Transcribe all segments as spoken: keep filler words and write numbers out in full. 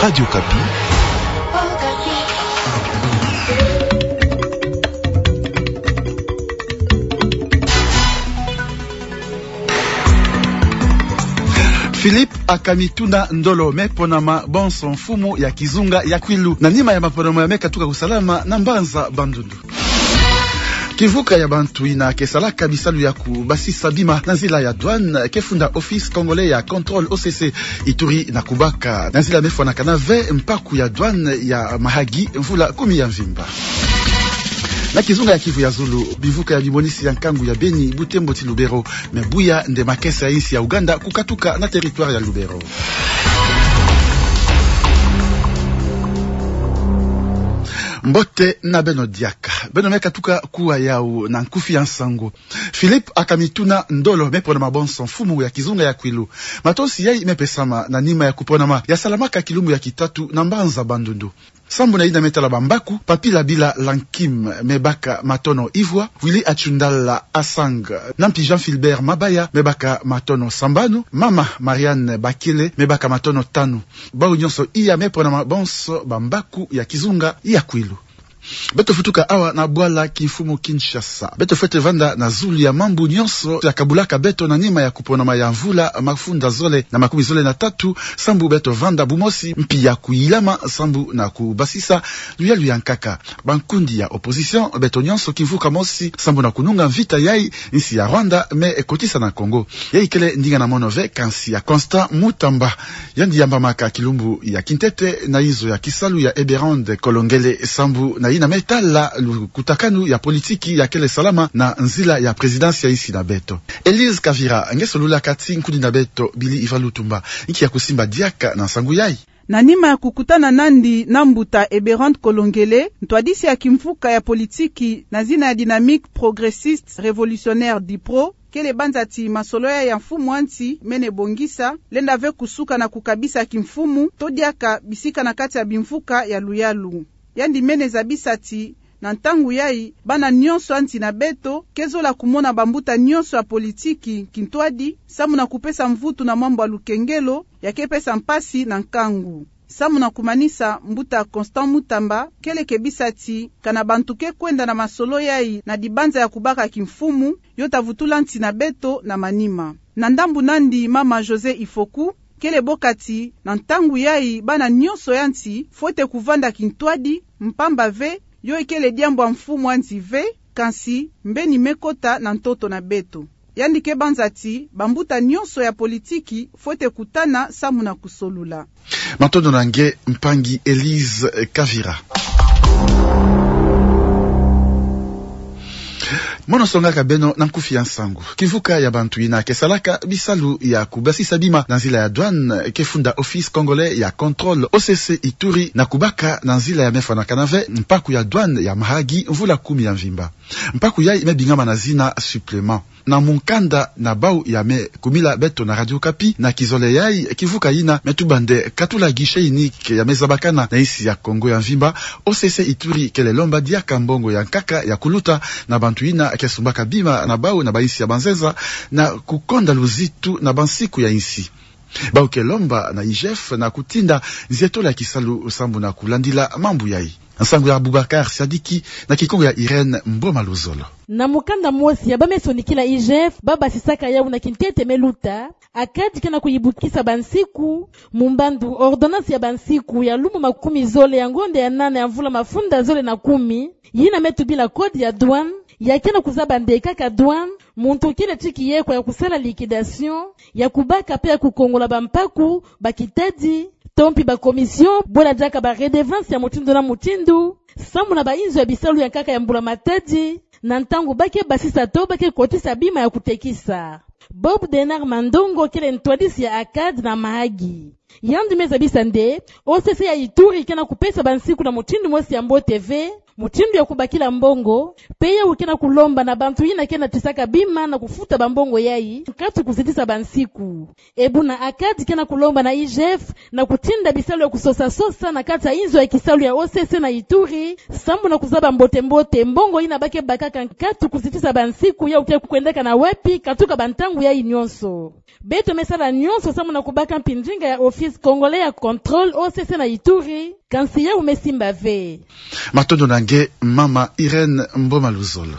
Radio Okapi. Philippe Akamituna Ndolo me ponama bonso mfumu ya kizunga ya Kwilu. Na nima ya maponama ya me katuka kusalama na mbanza Bandundu. Kimvuka ya bantu yina ke salaka bisalu ya kubasisa bima na nzila ya douane ke funda Office Congolais ya Contrôle, O C C, Ituri na Kubaka. Na nzila me fwanakana ve mpaku ya douane ya Mahagi mvula kumi ya mvimba. Na kizunga ya Kivu ya zulu, bimvuka ya bimonisi ya nkangu ya Beni, Butembo ti Lubero me buya nde makesa ya insi ya Ouganda kukatuka na territoire ya Lubero. Mbote na beno diaka. Beno me katuka kuwa yawu na nkufi ya nsangu. Philippe Akamituna Ndolo me ponama bonso mfumu ya kizunga ya Kwilu. Matosi yayi me pesama na nima ya kuponama ya salamaka kilumbu ya kitatu na mbanza Bandundu. Sambu na yina me tala bambaku, Papila Bila Lankim me baka matono ivwa, Willy Achundala Asang, na mpi Jean Philbert Mabaya me baka matono sambanu, mama Marianne Bakele me baka matono tanu. Bawu nyonso iya me ponama bonso bambaku ya kizunga ya Kwilu. Beto futuka awa na bwala kimfumu Kinshasa. Beto fwete vanda na zulu ya mambu nyonso ya kabulaka beto na nima ya kuponama ya mvula mafunda zole na makumi zole na tatu, sambu beto vanda bumosi mpi ya kuyilama sambu na kubasisa luyalu ya nkaka. Bankundi ya opposition, beto nyonso kimvuka mosi sambu na kununga mvita yayi insi ya Rwanda me kotisa na Congo. Yayi kele ndinga na mono ve, kansi ya Constant Mutamba. Yandi yambamaka kilumbu ya kintete na inzo ya kisalu ya Eberande Kolongele sambu na yina me tala lukutakanu ya politiki ya kele salama na nzila ya présidence ya insi na beto. Elise Kavira nge solulaka ti nkundi na beto Billy Ivan Lutumba, nki ya kusimba diaka na nsangu yayi. Na nima ya kukutana nandi na mbuta Eberande Kolongele, ntwadisi ya kimvuka ya politiki na zina ya Dynamique Progressiste Révolutionnaire, DIPRO, kele banza ti masolo yayi ya mfumu ya nsi mene bongisa, lenda ve kusuka na kukabisa kimfumu to diaka bisika na kati ya bimvuka ya luyalu. Yandi mene zabisa ti na ntangu yayi, bana nyonso ya nsi na beto ke zola kumona bambuta nyonso ya politiki kintwadi, sambu na kupesa mvutu na mambu ya lukengelo ya ke pesa mpasi na nkangu. Sambu na kumanisa, mbuta Constant Mutamba kele kebisa ti kana bantu ke kwenda na masolo yayi na dibanza ya kubaka kimfumu, yo ta vutula nsi na beto na manima. Na ndambu nandi, mama José Ifoku kele boka ti na ntangu yayi bana nyonso ya nsi fwete kuvanda kintwadi, mpamba ve yo ikele diambu ya mfumu ya nsi ve, kansi mbeni me kota na ntoto na beto. Yandi ke banza ti bambuta nyonso ya politiki fwete kutana sambu na kusolula. Matondo na nge, mpangi Elise Kavira. Mono songaka beno na nkufi ya nsangu. Kimvuka ya bantu yina ke salaka bisalu ya kubasisa bima na nzila ya douane ke funda Office Congolais ya Contrôle, O C C, Ituri na Kubaka, na nzila ya me fwanakana ve mpaku ya douane ya Mahagi mvula kumi ya mvimba. Mpaku yayi me bingama na zina supplément. Na mukanda na bawu ya me kumila beto na Radio Okapi, na kizole yayi, kimvuka yina me tuba nde katula guichet unique ya me zabakana na insi ya Kongo ya mvimba. O C C Ituri kele lomba diaka mbongo ya nkaka ya kuluta na bantu yina ke sumbaka bima na bawu na bainsi ya banzenza, na kukonda luzitu na bansiku ya insi. Bawu ke lomba na I G F na kutinda nzietolo ya kisalu sambu na kulandila mambu yayi. Nsangu ya Aboubacar Sadiki na Kikongo ya Irène Mboma Luzolo. Na mukanda mosi ya ba me sonikila I G F, ba basisaka yawu na kintete me luta, ACAD ke na kuyibukisa bansiku, mu mbandu ordonnance ya bansiku ya lumbu makumi zole ya ngonda ya nana ya mvula mafunda zole na kumi, yina me tubila code ya douane, ya ke na kuzaba nde kaka douane, muntu kele ti kiye kwa ya kusala liquidation, ya kubaka pe ya kukongola bampaku, bakitadi, to mpi ba commission, bwela diaka ba redevance ya mutindu na mutindu, sambu na bainzo ya bisalu ya nkaka ya mbula-matadi, na ntangu ba ke basisa to ba ke kotisa bima ya kutekisa. Bob Denard Mandongo kele ntwadisi ya ACAD na Mahagi. Yandi me zabisa nde, O C C ya Ituri ke na kupesa bansiku na mutindu mosi ya mbote ve, Mutindu ya kubakila mbongo, P A U ke na kulomba na bantu yina ke na tisaka bima na kufuta bambongo yayi, nkatu kuzitisa bansiku. E buna ACAD ke na kulomba na I G F na kutinda bisalu ya kusosa-sosa na kati ya inzo ya kisalu ya O C C na Ituri, sambu na kuzaba mbote-mbote mbongo yina ba ke bakaka nkatu kuzitisa bansiku yawu ke kwendaka na wapi, katuka bantangu yayi nyonso. Beto me sala nyonso sambu na kubaka mpi ndinga ya Office Congolais ya Contrôle O C C na Ituri, kansi yawu me simba ve. Matondo na nge, Mama Irène Mboma Luzolo.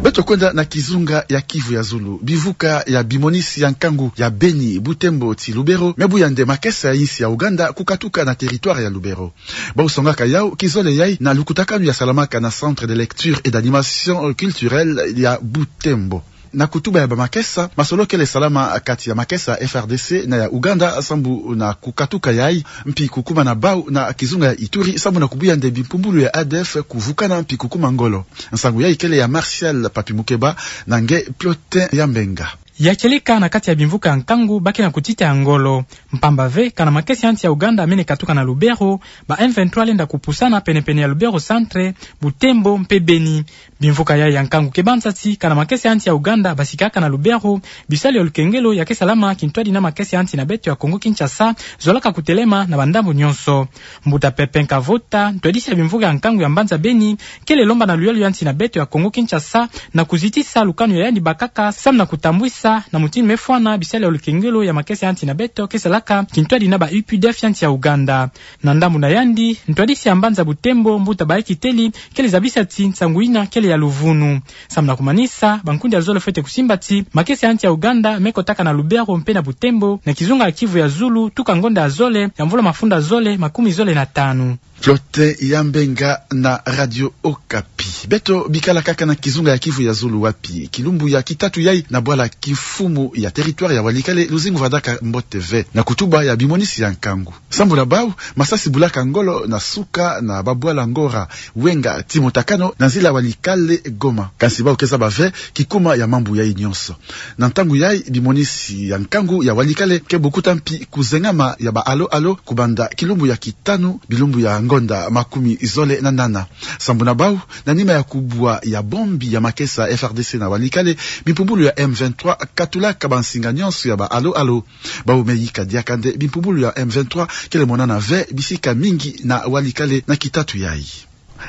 Beto kwenda na kizunga ya Kivu ya Zulu. Bimvuka ya bimonisi ya nkangu ya Beni, Butembo ti Lubero me buya nde makesa ya insi ya Ouganda kukatuka na territoire ya Lubero. Bau songaka yawu kizole yayi na lukutakanu ya salamaka na Centre de lecture et d'animation culturelle ya Butembo. Na kutuba ya bamakesa, masolo kele salama kati ya makesa ya F R D C na ya Ouganda sambu na kukatuka yayi, mpi kukuma na bau na kizunga ya Ituri sambu na kubuya nde bimpumbulu ya A D F kuvukana mpi kukuma ngolo. Nsangu yayi kele ya Martial Papi Mukeba na nge Plotin ya Mbenga. Ya kieleka na kati ya bimvuka ya nkangu ba ke na kutita ya ngolo. Mpamba ve, kana makesa ya nsi ya Ouganda mene katuka na Lubero, ba M vingt-trois lenda kupusana pene-pene ya Lubero Centre, Butembo mpe Beni. Bimvuka yayi ya nkangu ke banza ti, kana makesa ya nsi ya Ouganda basikaka na Lubero, bisalu ya lukengelo ya ke salama kintwadi na makesa ya nsi na beto ya Congo Kinshasa zolaka kutelema na bandambu nyonso. Mbuta Pepin Kavota, ntwadisi ya bimvuka ya nkangu ya mbanza Beni, kele lomba na luyalu ya nsi na beto ya Congo Kinshasa na kuzitisa lukanu ya yandi bakaka, samu na kutambwisa na mutindu me fwana bisalu ya lukengelo ya makesa ya nsi na beto ke salaka kintwadi na ba U P D F ya nsi ya Ouganda. Na ndambu na yandi, ntwadisi ya mbanza Butembo, Mbuta Baekiteli, kele zabisa ti nsangu yina kele ya luvunu. Samu na kumanisa, bankundi ya zole fwete kusimba ti makesa ya nsi ya Ouganda me kotaka na Lubero mpe na Butembo, na kizunga ya Kivu ya Zulu, tuka ngonda ya zole ya mvula mafunda zole makumi zole na tanu. Plotin ya Mbenga na Radio Okapi. Beto bikala kaka na kizunga ya Kivu ya Zulu, wapi kilumbu ya kitatu yayi na bwala kimfumu ya territoire ya Walikale, luzingu vandaka mbote ve na kutuba ya bimonisi ya nkangu. Sambu na bau, masasi bulaka ngolo na suka na babwala Ngora, Wenga ti Motakano na nzila Walikale Goma. Kansi bau ke zaba ve kikuma ya mambu yayi nyonso. Na ntangu yayi, bimonisi ya nkangu ya Walikale ke bukuta mpi kuzengama ya ba alo-alo kubanda kilumbu ya kitanu, bilumbu ya ngonda makumi zole na nana. Sambu na bau, na nima ya kubwa ya bombi ya makesa F R D C na Walikale, bimpumbulu ya M vingt-trois katulaka bansinga nyonso ya ba alo-alo. Bau me yika diaka nde bimpumbulu ya M vingt-trois kele monana ve bisika mingi na Walikale na kitatu yayi.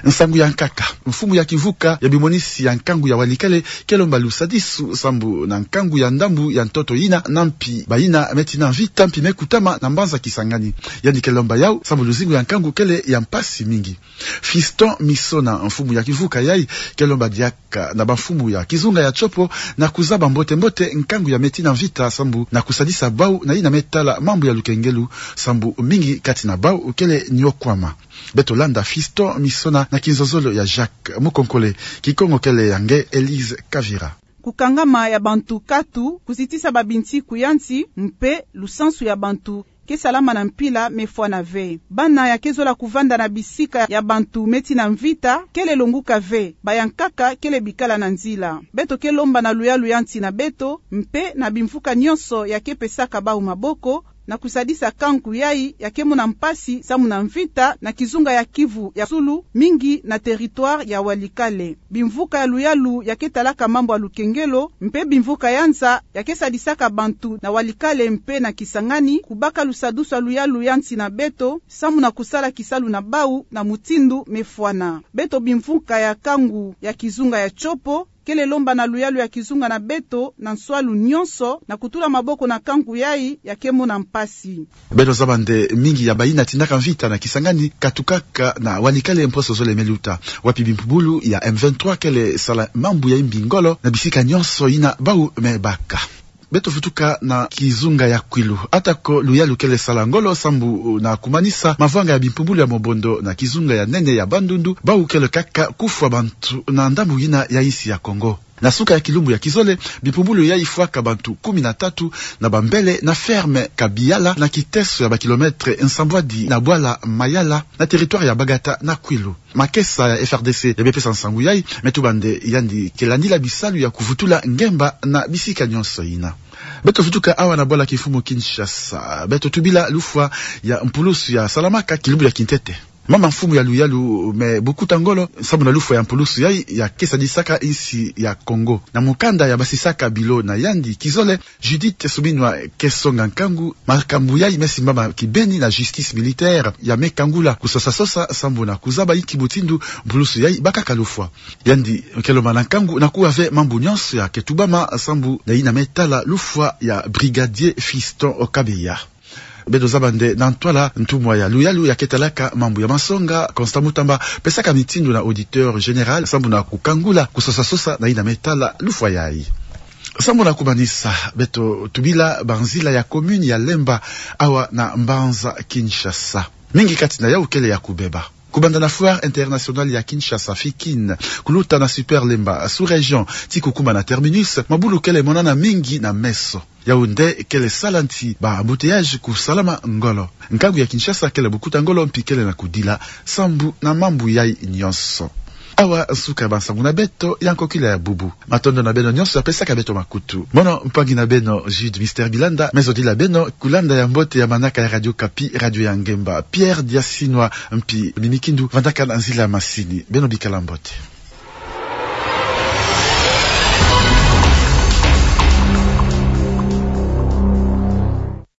Nsangu ya nkaka. Mfumu ya kimvuka ya bimonisi ya nkangu ya Walikale ke lomba lusadisu sambu na nkangu ya ndambu ya ntoto yina, na mpi bayina me tina mvita mpi me kutama na mbanza Kisangani. Yandi ke lomba yawu sambu luzingu ya nkangu kele ya mpasi mingi. Fiston Misona, mfumu ya kimvuka yayi, ke lomba diaka na bamfumu ya kizunga ya Tshopo na kuzaba mbote-mbote nkangu ya me tina mvita sambu na kusadisa bau na yina me tala mambu ya lukengelo, sambu mingi kati na bau kele niokwama. Beto landa Fiston Misona na kinzonzolo ya Jacques Mukonkole, Kikongo kele ya nge Elise Kavira. Kukangama ya bantu katu, kuzitisa babinsiku ya nsi, mpe lusansu ya bantu ke salama na mpila me fwana ve. Bana ya ke zola kuvanda na bisika ya bantu me tina mvita kele longuka ve, ba ya nkaka kele bikala na nzila. Beto ke lomba na luyalu ya nsi na beto, mpe na bimvuka nyonso ya ke pesaka bau maboko, na kusadisa nkangu yayi ya ke mona mpasi samu na mvita na kizunga ya Kivu ya Zulu, mingi na territoire ya Walikale. Bimvuka ya luyalu ya ke talaka mambu ya lukengelo, mpe bimvuka ya nza ya ke sadisaka bantu na Walikale mpe na Kisangani, kubaka lusadisu ya luyalu ya nsi na beto, samu na kusala kisalu na bau na mutindu me fwana. Beto bimvuka ya nkangu ya kizunga ya Tshopo, kele lomba na luyalu ya kizunga na beto na nswalu nyonso na kutula maboko na nkangu yayi ya ke mona mpasi. Beto zaba nde mingi ya bayina tinaka mvita na Kisangani katukaka na Walikale mposo zole me luta, wapi bimpumbulu ya M vingt-trois kele sala mambu ya imbi ngolo na bisika nyonso yina bau me baka. Beto vutuka na kizunga ya Kwilu. Atako luyalu kele sala ngolo sambu na kumanisa mavanga ya bimpumbulu ya Mobondo na kizunga ya nene ya Bandundu, bau kele kaka kufwa bantu na ndambu yina ya insi ya Kongo. Na suka ya kilumbu ya kizole, bimpumbulu yayi fwaka bantu kumi na tatu na bambele na ferme Kabiala, na kiteso ya ba kilomètre nsambwadi na bwala Mayala, na territoire ya Bagata na Kwilu. Makesa ya F R D C ya me pesa nsangu yayi, me tuba nde yandi ke landila bisalu ya kuvutula ngemba na bisika nyonso yina. Beto vutuka awa na bwala kimfumu Kinshasa. Beto tubila lufwa ya mpulusu ya salamaka kilumbu ya kintete. Mama mfumu ya Luyalu Mme Bokuta Ngolo, sambu na lufwa ya mpulusu yai, ya ke sadisaka insi ya Kongo na mukanda ya basisaka bilo na yandi kizole, Judith Suminwa, ke songa nkangu makambu yai me simbama kibeni na justice militaire ya me kangula kusosa-sosa sambu na kuzaba inki mutindu mpulusu yai bakaka lufwa. Yandi ke lomana nkangu na kuwa ve mambu nyonso ya ke tubama sambu na yina me tala lufwa ya Brigadier Fiston Kabeya. Beto zaba nde na ntwala ntumwa ya Luyalu ya ke talaka mambu ya masonga, Constant Mutamba, pesaka mitindu na auditeur général sambu na kukangula kusosa-sosa na yina me tala lufwa yai. Sambu na kumanisa, beto tubila banzila ya commune ya Lemba, awa na mbanza Kinshasa. Mingi kati na yau kele ya kubeba. Kubanda na Foire Internationale ya Kinshasa, FIKIN, kuluta na Super Lemba, sous-région, tii kukuma na terminus, mabulu kele monana mingi na meso. Yau nde kele sala nti ba embouteillage kusalama ngolo. Nkangu ya Kinshasa kele bukuta ngolo mpi kele na kudila sambu na mambu yai nyonso. Awa nsuka ya bansangu na beto ya nkokila ya bubu. Matondo na beno nyonso ya pesaka beto makutu. Mono mpangi na beno Jude Mister Bilanda, me zodila beno kulanda ya mbote ya manaka ya Radio Okapi, radio ya ngemba. Pierre Diasinwa mpi Mimi Kindu vandaka na nzila ya masini. Beno bikala mbote.